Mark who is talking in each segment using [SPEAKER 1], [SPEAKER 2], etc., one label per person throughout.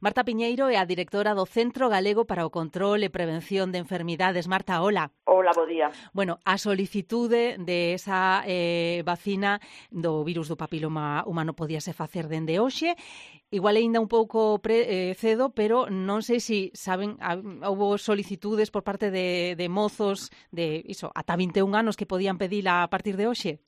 [SPEAKER 1] Marta Piñeiro é a directora do Centro Galego para o Control e Prevención de Enfermidades. Marta, hola.
[SPEAKER 2] Hola, bo día.
[SPEAKER 1] Bueno, a solicitude de esa vacina do virus do papiloma humano podíase facer dende hoxe. Igual aínda un pouco cedo, pero non sei se saben, houve solicitudes por parte de mozos de iso, ata 21 anos que podían pedila a partir de hoxe.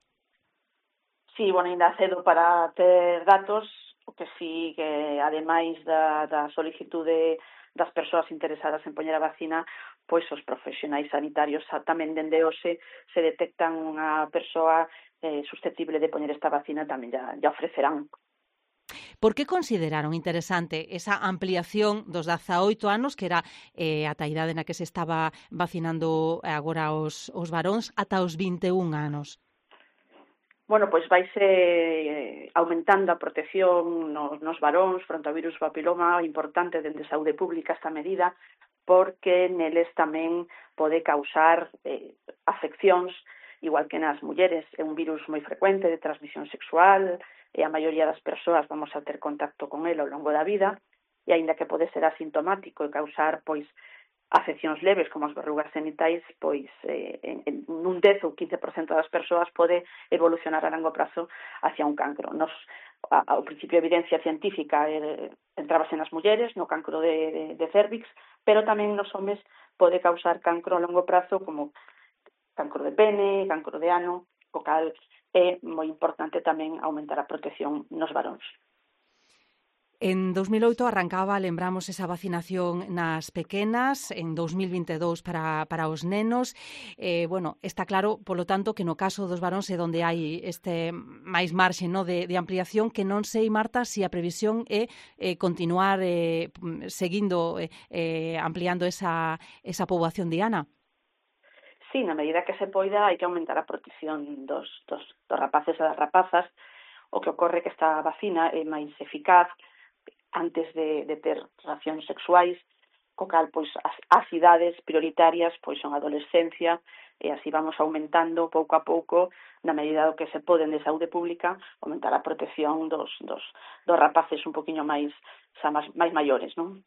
[SPEAKER 2] Sí, bueno, ainda cedo para ter datos, o que sí que, ademais da solicitude das persoas interesadas en poñer a vacina, pois os profesionais sanitarios tamén dende hoxe se detectan unha persoa susceptible de poñer esta vacina, tamén ya ofrecerán.
[SPEAKER 1] Por que consideraron interesante esa ampliación dos 18 anos, que era ata a idade na que se estaba vacinando agora os varóns, ata os 21 anos?
[SPEAKER 2] Bueno, pois vaise aumentando a protección nos varóns fronte ao virus papiloma, importante dende saúde pública esta medida, porque neles tamén pode causar afeccións, igual que nas mulleres. É un virus moi frecuente de transmisión sexual, e a maioría das persoas vamos a ter contacto con ele ao longo da vida, e aínda que pode ser asintomático e causar, pois, afeccións leves como as verrugas genitais, pois en un 10 ou 15% das persoas pode evolucionar a longo prazo hacia un cancro. Ao principio a evidencia científica entrábase nas mulleres, no cancro de cervix, pero tamén nos homes pode causar cancro a longo prazo como cancro de pene, cancro de ano, o cal é moi importante tamén aumentar a protección nos varóns.
[SPEAKER 1] En 2008 arrancaba, lembramos, esa vacinación nas pequenas, en 2022 para os nenos. Bueno, está claro, polo tanto, que no caso dos varóns é onde hai este máis marxe, no, de ampliación, que non sei, Marta, se a previsión é continuar seguindo ampliando esa poboación diana.
[SPEAKER 2] Sí, na medida que se poida hai que aumentar a protección dos rapaces e das rapazas. O que ocorre que esta vacina é máis eficaz antes de ter relacións sexuais, co cal pois as idades prioritarias pois son a adolescencia, e así vamos aumentando pouco a pouco, na medida do que se pode de saúde pública, aumentar a protección dos rapaces un poquinho máis maiores, non?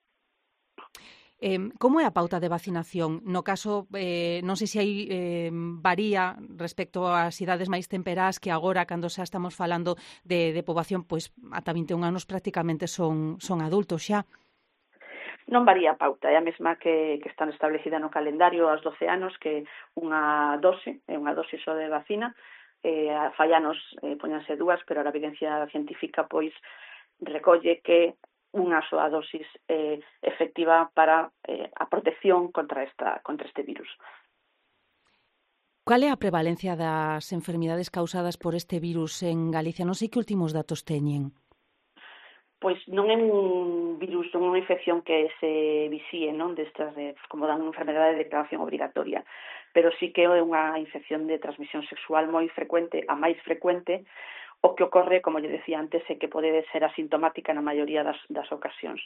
[SPEAKER 1] Como é a pauta de vacinación? No caso, non sei se aí varía respecto ás idades máis temperás, que agora, cando xa estamos falando de poboación, pois ata 21 anos prácticamente son adultos xa.
[SPEAKER 2] Non varía a pauta, é a mesma que está establecida no calendario aos 12 anos, que unha dose só de vacina. Fai anos poñanse dúas, pero a evidencia científica pois recolle que unha soa dosis efectiva para a protección contra este virus.
[SPEAKER 1] Cal é a prevalencia das enfermidades causadas por este virus en Galicia? Non sei que últimos datos teñen.
[SPEAKER 2] Pois non é un virus, non é unha infección que se visíe, non, destas como dan unha enfermedade de declaración obrigatoria, pero sí que é unha infección de transmisión sexual moi frecuente, a máis frecuente. O que ocorre, como lle decía antes, é que pode ser asintomática na maioría das ocasións.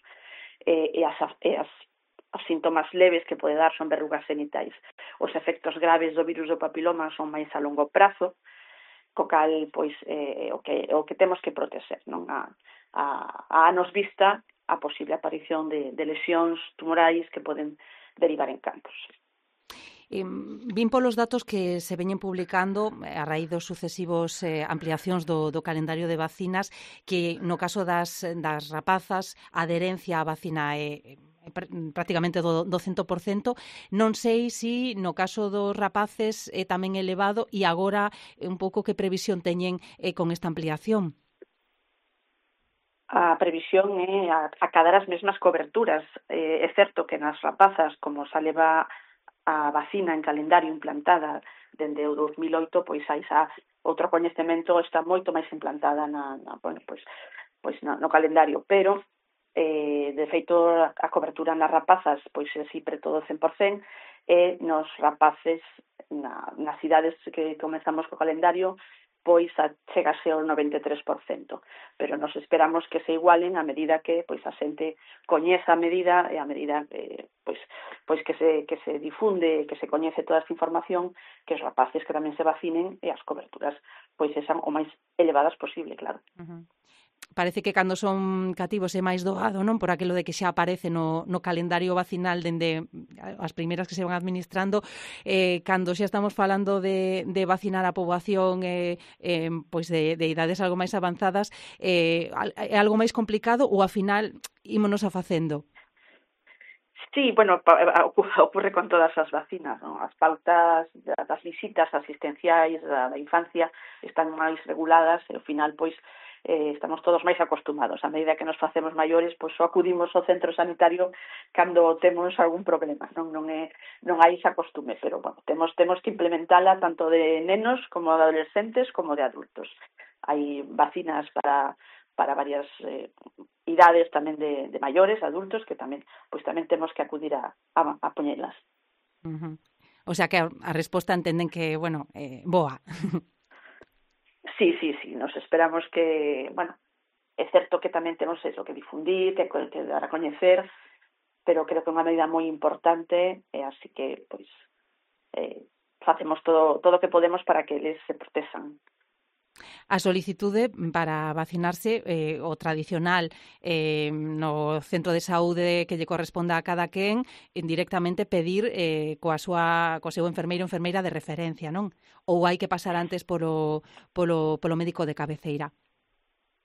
[SPEAKER 2] Os síntomas leves que pode dar son verrugas genitais. Os efectos graves do virus do papiloma son máis a longo prazo, co cal, pois, o que temos que proteger, non? A anos vista a posible aparición de lesións tumorais que poden derivar en cancros.
[SPEAKER 1] Vin polos datos que se veñen publicando a raíz dos sucesivos ampliacións do calendario de vacinas, que no caso das rapazas a adherencia á vacina é prácticamente do 100%. Non sei se no caso dos rapaces é tamén elevado, e agora un pouco que previsión teñen con esta ampliación.
[SPEAKER 2] A previsión é acadar as mesmas coberturas. É certo que nas rapazas, como xa leva a vacina en calendario implantada dende o 2008, pois hai xa outro coñecemento, está moito máis implantada no calendario, pero de feito a cobertura nas rapazas pois é si preto do 100%, e nos rapaces nas idades que comezamos co calendario pois chegase ao 93%, pero nos esperamos que se igualen a medida que pois a xente coñeza a medida, e a medida pois que se difunde, que se coñece toda esta información, que os rapaces que tamén se vacinen e as coberturas pois sexan o máis elevadas posible, claro.
[SPEAKER 1] parece que cando son cativos é máis doado, non? Por aquilo de que xa aparece no calendario vacinal dende as primeiras que se van administrando, cando xa estamos falando de vacinar a poboación pois de idades algo máis avanzadas, é algo máis complicado ou ao final ímonos a facendo?
[SPEAKER 2] Sí, bueno, ocurre con todas as vacinas, non? As pautas das visitas asistenciais da infancia están máis reguladas e ao final, pois, estamos todos máis acostumados. A medida que nos facemos maiores, pois só acudimos ao centro sanitario cando temos algún problema, non hai esa costume, pero, bueno, temos que implementala tanto de nenos como de adolescentes como de adultos. Hai vacinas para varias idades tamén de maiores, adultos, que tamén temos que acudir a poñelas.
[SPEAKER 1] Uh-huh. O sea que a resposta entenden que, bueno, boa.
[SPEAKER 2] Sí, nos esperamos que, bueno, é certo que tamén temos eso, que difundir, que dar a coñecer, pero creo que é unha medida moi importante, así que, pois, facemos todo o que podemos para que eles se protexan.
[SPEAKER 1] A solicitude para vacinarse, o tradicional, no centro de saúde que lle corresponda a cada quen, directamente pedir co seu enfermeiro ou enfermeira de referencia, non? Ou hai que pasar antes polo médico de cabeceira?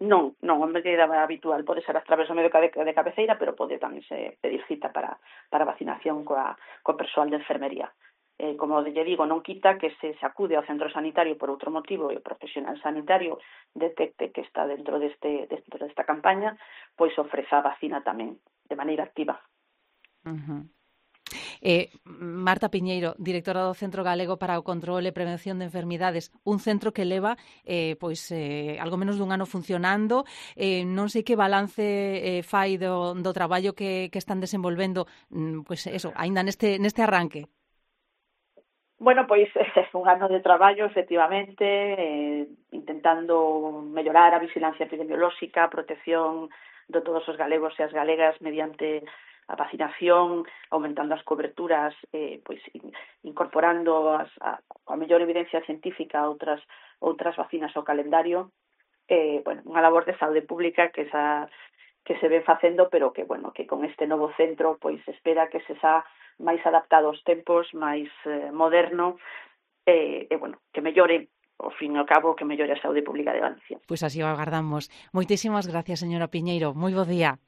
[SPEAKER 2] Non, a medida habitual pode ser a través do médico de cabeceira, pero pode tamén se pedir cita para vacinación co persoal de enfermería. Como lle digo, non quita que se acude ao centro sanitario por outro motivo e o profesional sanitario detecte que está dentro desta campaña, pois ofreza a vacina tamén de maneira activa.
[SPEAKER 1] Uh-huh. Marta Piñeiro, directora do Centro Galego para o Control e Prevención de Enfermidades, un centro que leva algo menos dun ano funcionando. Non sei que balance fai do traballo que están desenvolvendo, aínda neste arranque.
[SPEAKER 2] Bueno, pois un ano de traballo, efectivamente, intentando mellorar a vigilancia epidemiolóxica, a protección de todos os galegos e as galegas mediante a vacinación, aumentando as coberturas, pois incorporando a mellor evidencia científica a outras vacinas ao calendario. Bueno, unha labor de saúde pública que se ve facendo, pero que, bueno, que con este novo centro pois espera que se xa máis adaptado aos tempos, máis moderno, bueno, que mellore, ao fin e ao cabo, que mellore a saúde pública de Galicia.
[SPEAKER 1] Pois así o agardamos. Moitísimas gracias, señora Piñeiro. Moi bo día.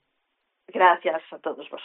[SPEAKER 2] Gracias a todos vos.